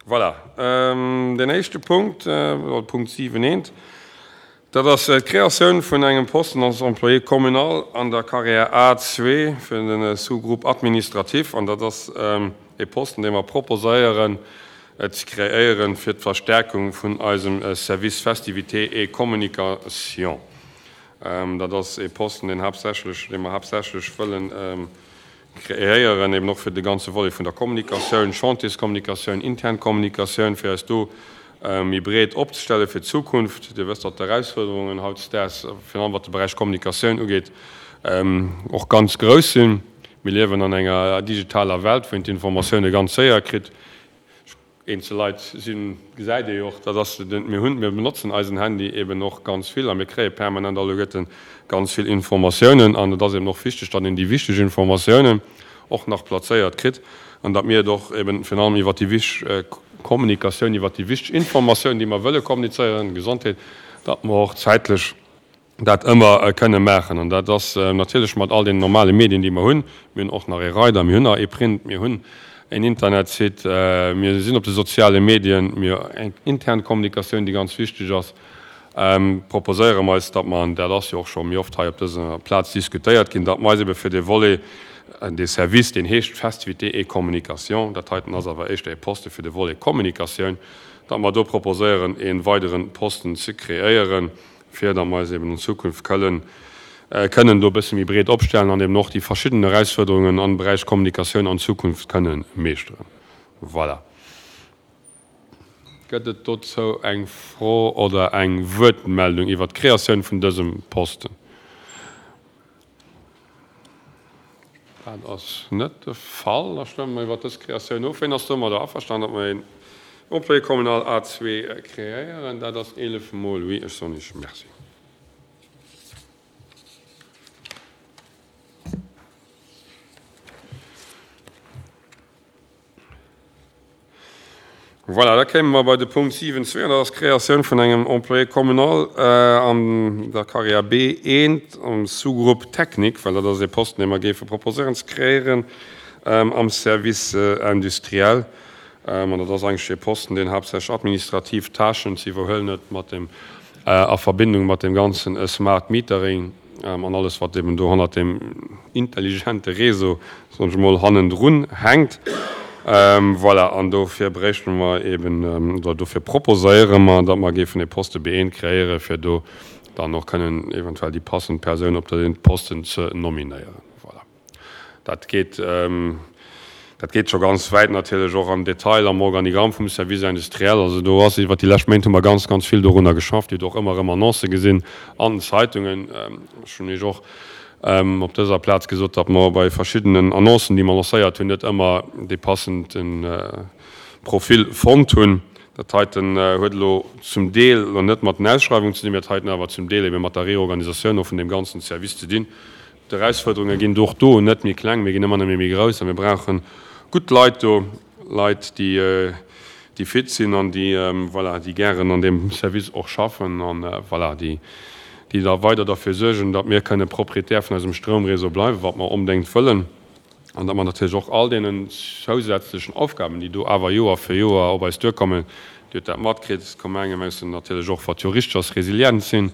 Voilà, deen éischte Punkt, oder Punkt 7 eent, dat ass d'Kreatioun vun engem Posten als Employé communal an der Carrière A2 fir de Sous-groupe administratif. An dat ass e Posten, dee mer proposéieren ze kreéieren fir d'Verstärkung vun eisem Service Festivités et Communication. Dat ass e Posten, deen haaptsächlech, dee mer haaptsächlech wëllen kreéieren, eben och fir de ganze Volet vun der Kommunikatioun, Chantierskommunikatioun, intern Kommunikatioun, fir eis do méi breet opzestelle fir d'Zukunft. Dir wësst, datt d'Erausfuerderungen hautdesdaags, virun allem wat de Beräich Kommunikatioun ugeet, och ganz grouss sinn. Mir liewen an enger digitaler Welt, wou een d'Informatioune ganz séier kritt. Eenzel Leit sinn, gesäit ee jo och, dat ass den, mir hunn, mir benotzen eisen Handy eben och ganz vill a mir kréie permanent alleguerte ganz vill Informatiounen an et ass eben och wichteg, datt een déi wichteg Informatiounen och nach plazéiert kritt an datt mir et och eben virun allem iwwert déi wichteg Kommunikatioun, iwwert déi wichteg Informatioun, déi mer wëlle kommunizéieren, Gesondheet, datt mer och zäitlech dat ëmmer kënne maachen. An dat ass natierlech mat all deenen normale Medien, déi mer hunn. Mir hunn och nach e Reider, mir hunn nach e Print, mir hunn en Internetsite, mir sinn op de soziale Medien, mir hu eng intern Kommunikatioun, déi ganz wichteg ass. Proposéiere mer eis, datt mer, an dat ass jo och scho méi oft hei op dëser Plaz diskutéiert ginn, datt mer eis ebe fir dee Volet, dee Service, deen heescht Festivités et Communication, dat heiten ass awer éischter e Poste fir de Volet Kommunikatioun, datt mer do proposéieren, e weidere Posten ze kreéieren, fir datt mer eis eben an Zukunft këllen, kënnen do e bësse méi breet opstellen an eben och déi verschidden Erausfuerderungen am Beräich Kommunikatioun an Zukunft kënnen meeschteren. Voilà. Gëtt et dozou eng Fro oder eng Wuertmeldung iwwert d'Kreatioun vun dësem Posten? Dat ass net de Fall. Da stëmme mer iwwert dës Kreatioun of. Wien ass domadder averstanen, datt mer een Employé communal A2 kreéieren? Dat ass 11 mol oui. Ech soen Iech Merci. Voilà, da kéime mer bei de Punkt 7.2, an dat ass d'Kreatioun vun engem Employé communal an der Carrière B1 am Sous-groupe technique, well dat ass ee Posten, dee mer géife proposéieren ze kreéieren am Service industriel. An dat ass eigentlech ee Posten, deen haaptsächlech administrativ Tâchen ze iwwerhuelen huet mat dem, a Verbindung mat deem ganzen Smart Metering. An alles, wat eben do hannert deem intelligente Réseau, soen ech emol, hannendrun hänkt. Voilà, an dofir bréichte mer eben, oder dofir proposéiere mer, datt mer géifen e Poste B1 kreéieren, fir do dann och kënnen eventuell déi passend Persoun op dee Posten ze nominéieren. Voilà. Dat geet, dat geet scho ganz wäit natierlech och am Detail am Organigramm vum Service industriel. Also do ass iwwert déi lescht Méint hu mer ganz, ganz vill dorunner geschafft. Dir hutt och ëmmer erëm Annoncë gesinn an den Zeitungen. Ech hunn Iech och op dëser Plaz gesot, datt mer bei verschiddenen Annoncen, déi mer lancéiert hunn, net ëmmer dee passende Profil fonnt hunn. Dat heiten huet elo zum Deel elo net mat den Ausschreiwungen ze dinn, mä dat heiten awer zum Deel ebe mat der Reorganisatioun och vun deem ganzen Service ze dinn. D'Erausfuerderunge ginn och do net méi kleng, mee ginn ëmmer nëmme méi grouss a mir brauche gutt Leit do, Leit, déi, déi fit sinn an déi, voilà, déi gären an deem Service och schaffen an, voilà, déi, déi da weider derfir suergen, datt mir kënne Proprietär vun eisem Stroumréseau bleiwen, wat mer onbedéngt wëllen, an datt mer natierlech och all deenen zousätzlechen Aufgaben, déi do awer Joer fir Joer op eis duerkommen, Dir hutt dat matkritt, d'Gemenge mussen natierlech och, wat jo richteg ass, resilient sinn.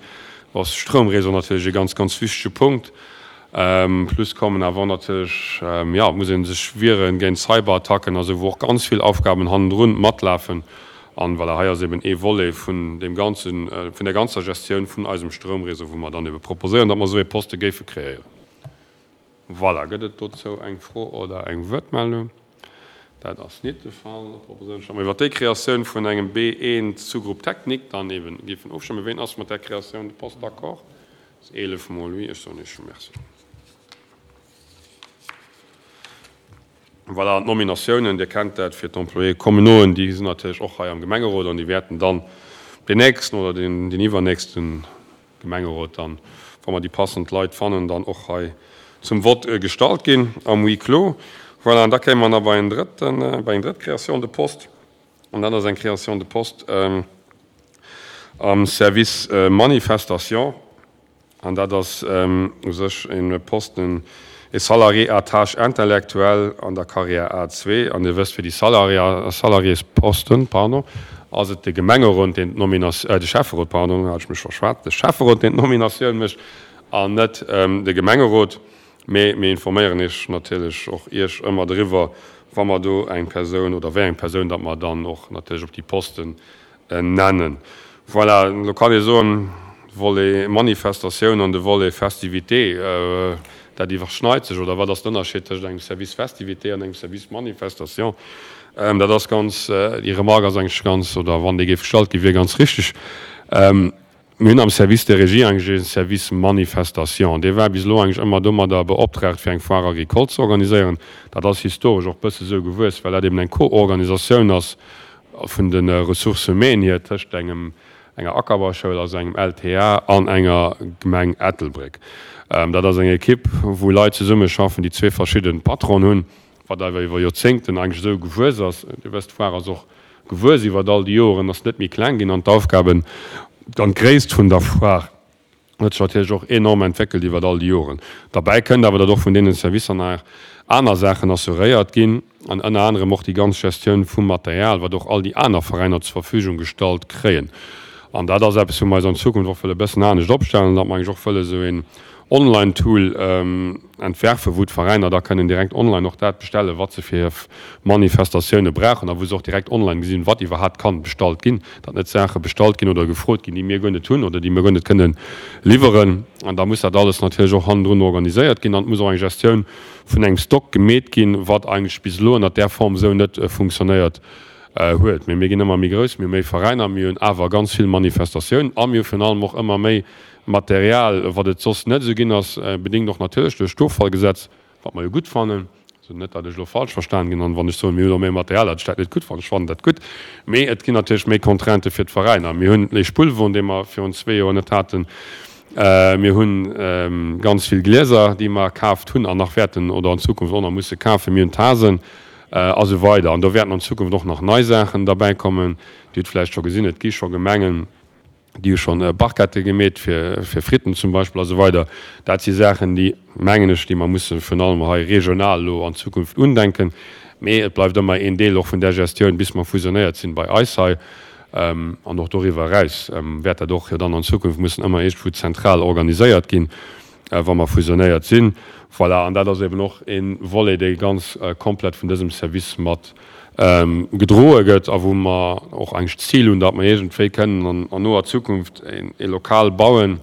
Do ass de Stroumréseau natierlech e ganz, ganz wichtege Punkt. Plus kommen awer och natierlech, jo, et muss ee sech wiere géint Cyberattacken a sou, wou och ganz vill Aufgaben hannendrun matlafen. An voilà, hei ass eben ee Volet vun deem ganzen, vun der ganzer Gestioun vun eisem Stroumréseau, wou mer dann ebe proposéieren, datt mer esou ee Poste géife kreéieren. Voilà, gëtt et dozou eng Fro oder eng Wuertmeldung? Dat ass nit de Fall. Da proposéieren ech, datt mer iwwert déi Kreatioun vun engem B1 Sous-groupe technique dann eeben géifen ofstëmmen. Ween ass mat där Créatioun de poste d'accord? Dat ass 11 mol oui. Ech soen Iech Merci. Voilà, an d'Nominatiounen, Dir kennt dat, fir d'Employés communauxen, déi sinn natierlech och hei am Gemengerot an déi wäerten dann deen nächsten oder deen iwwernächsten Gemengerot dann, wa mer déi passend Leit fannen, dann och hei zum Vott gestallt ginn am Huis clos. Voilà, an da kéime mer nach bei en drëtten, bei eng drëtt Création de poste, an dat ass eng Création de poste am Service Manifestation. An dat ass u sech e Posten. E Salarié à tâche intellectuelle an der Carrière A2, an Dir wësst, fir déi Salariésposten, pardon, ass et de Gemengerot, deen d'Nominatioun, de Schäfferot, pardon, hat ech mech verschwat, de Schäfferot, deen d'Nominatioun mécht an net de Gemengerot. Mee mir informéieren Iech natierlech och Iech ëmmer driwwer, wa mer do eng Persoun oder wéi eng Persoun datt mer dann och natierlech op déi Posten nennen. Voilà, elo kann ee soen, Volet Manifestatioun an de Volet Festivité, dat iwwerschneit sech. Oder wat ass den Ënnerscheed tëscht engem Service Festivité an engem Service Manifestation? Dat ass ganz, déi Remarque ass eigentlech ganz, oder wann déi géif gestallt ginn, wier ganz richtig. Mir hunn am Service de régie eigentlech ee Service Manifestation. Dee war bis elo eigentlech ëmmer domadder beoptraagt, fir eng Foire agricole ze organiséieren. Dat ass historesch och bësse sou gewuess, well dat eben eng Co-Organisatioun ass vun de Ressources humaines hier tëscht engem, enger Ackerbauschoul, also engem LTA an enger Gemeng Ettelbréck. Dat ass eng Ekipp, wou Leit zesummeschaffen, déi zwee verschidde Patronen hunn, wat awer iwwer Joerzéngten eigentlech esou gewuess ass. Dir wësst, d'Foire ass och gewuess iwwert all déi Joren, ass net méi kleng ginn an d'Aufgaben an d'Gréisst vun der Foire huet sech natierlech och enorm entwéckelt iwwert all déi Joren. Derbäi kënnt awer, datt och vun deene Servicer nach aner Saachen assuréiert ginn, an ënner anerem och déi ganz Gestioun vum Material, wat och all déi aner Veräiner zur Verfügung gestallt kréien. An dat ass eppes, wou mer eis an Zukunft och wëlle e bëssen anescht opstellen, datt mer eigentlech och wëlle esou een Online-Tool entwerfen, wou d'Veräiner da kënnen direkt online och dat bestellen, wat se fir hir Manifestatioune brauchen a wou se och direkt online gesinn, wat iwwerhaapt kann bestallt ginn, datt net Saache bestallt ginn oder gefrot ginn, déi mir guer net hunn oder déi mir guer net kënnen liwweren. An da muss dat alles natierlech och hannendrun organiséiert ginn an et muss och eng Gestioun vun engem Stock gemeet ginn, wat eigentlech bis elo ënnert där Form esou net funktionéiert huet. Mee mir ginn ëmmer méi grouss, mir hu méi Veräiner, mir hunn awer ganz vill Manifestatiounen a mir hu virun allem och ëmmer méi Material, wat et soss net esou ginn ass, bedéngt och natierlech duerch d'Offallgesetz, wat mer jo gutt fannen. Also net, datt ech elo falsch verstan ginn an wann ech soen, mir hu elo méi Material, datt ech dat net gutt fannen. Ech fannen dat gutt. Mee et ginn natierlech méi Contraintë fir d'Veräiner. Mir hunn ee Spullwon, dee mer virun zwee Joer net haten. Mir hu ganz vill Glieser, déi mer kaaft hunn an nach wäerten oder an Zukunft och nach musse kafen. Mir hunn Tasen a sou weider. An do wäerten an Zukunft och nach nei Saachen derbäikommen. Dir hutt vläicht scho gesinn, et gi scho Gemengen, Déi hu schonn Barquettë gemeet fir Fritten zum Beispill a sou weider. Dat si Saachen, déi, mengen ech, déi mer musse virun allem hei regional elo an Zukunft undenken. Mee et bleift ëmmer een Deel och vun där Gestioun, bis mer fusionéiert sinn bei eis hei. An och doriwwer eraus wäert dat och jo dann an Zukunft mussen ëmmer iergendwou zentral organiséiert ginn. wa mer fusionéiert sinn. Voilà, an dat ass eben och e Volet, dee ganz komplett vun dësem Service mat gedroe gëtt a wou mer och eigentlech d'Zil hunn, datt mer iergendwéi kënnen an noer Zukunft e Lokal bauen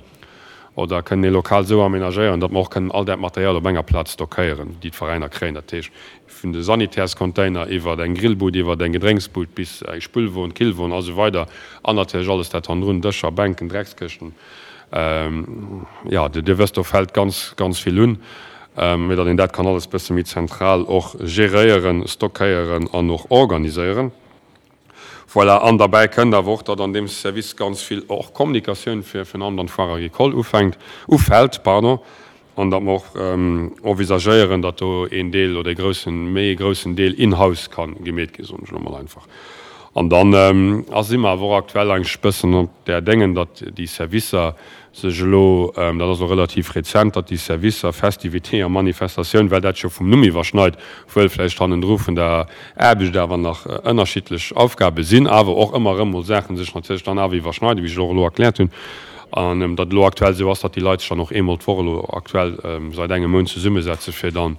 oder kënnen e Lokal esou aménagéieren, datt mer och kënnen all dat Material op enger Plaz stockéieren, déi d'Veräiner kréien. Dat heescht, vun de Sanitärscontainer iwwer eng Grillbud, iwwer eng Gedrénksbud bis eng Spullwon, Killwon a sou weider an natierlech alles dat hannendrun, Dëscher, Bänken, Dreckskëschten. Jo, Dir wësst, do fält ganz, ganz vill un, mee datt een dat kann alles bësse méi zentral och geréieren, stockéieren an och organiséieren. Voilà, an derbäi kënnt awer och, datt an deem Service ganz vill och Kommunikatioun fir virun allem dann d'Foire agricole ufänkt, ufält, pardon, an datt mer och envisagéieren, datt do een Deel oder ee groussen, méi ee groussen Deel in-house ka gemeet ginn, soen ech elo mol einfach. An dann si mer awer och aktuell eigentlech e bëssen op där Déngen, datt déi Servicer sech elo, dat ass elo relativ rezent, datt déi Servicer Festivité a Manifestatioun, well dat scho vum Numm iwwerschneit, wuel vläicht hannendru vun der Aarbecht awer nach ënnerschiddlech Aufgabe sinn, awer och ëmmer erëm mol Saache sech natierlech dann awer iwwerschneiden, wéi ech och elo erkläert hunn. An datt elo aktuell esou ass, datt déi Leit sech dann och eemol d'Woch elo aktuell säit engem Mount zesummesetze fir dann,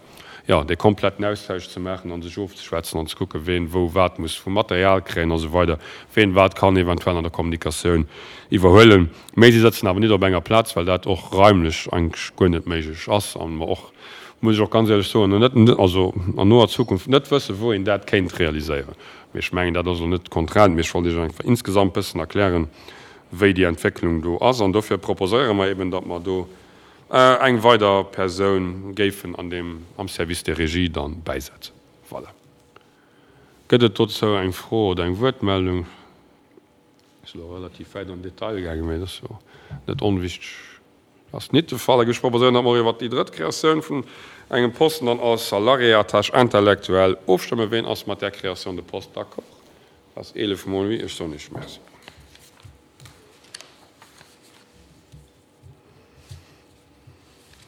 jo, dee kompletten Austausch ze maachen a sech ofzeschwätzen an ze kucken, ween wou wat muss vu Material kréien a sou weider, ween wat kann eventuell an der Kommunikatioun iwwerhuelen. Mee si sëtzen awer nit op enger Plaz, well dat och raimlech eigentlech guer net méiglech ass a mer och, muss ech och ganz éierlech soen, net, also an noer Zukunft net wëssen, wou een dat kéint realiséieren. Mee ech mengen, dat ass elo net d'Contrainte, mee ech wollt Iech einfach insgesamt bëssen erklären, wéi déi Entwécklung do ass. An dofir proposéiere mer eben, datt mer do eng weider Persoun géifen an deem, am Service de régie dann bäisetzen. Voilà. Gëtt et dozou eng Fro oder eng Wuertmeldung? Ech sinn elo relativ wäit an den Detail gaangen, mä dat ass jo net onwichteg. Ass nit de Fall. Da géif ech proposéieren, datt mer och iwwert déi drëtt Kreatioun vun engem Posten dann als Salarié à tâche intellectuelle ofstëmmen. Ween ass mat där Création de poste d'accord? Dat ass 11 mol oui. Ech soen Iech Merci.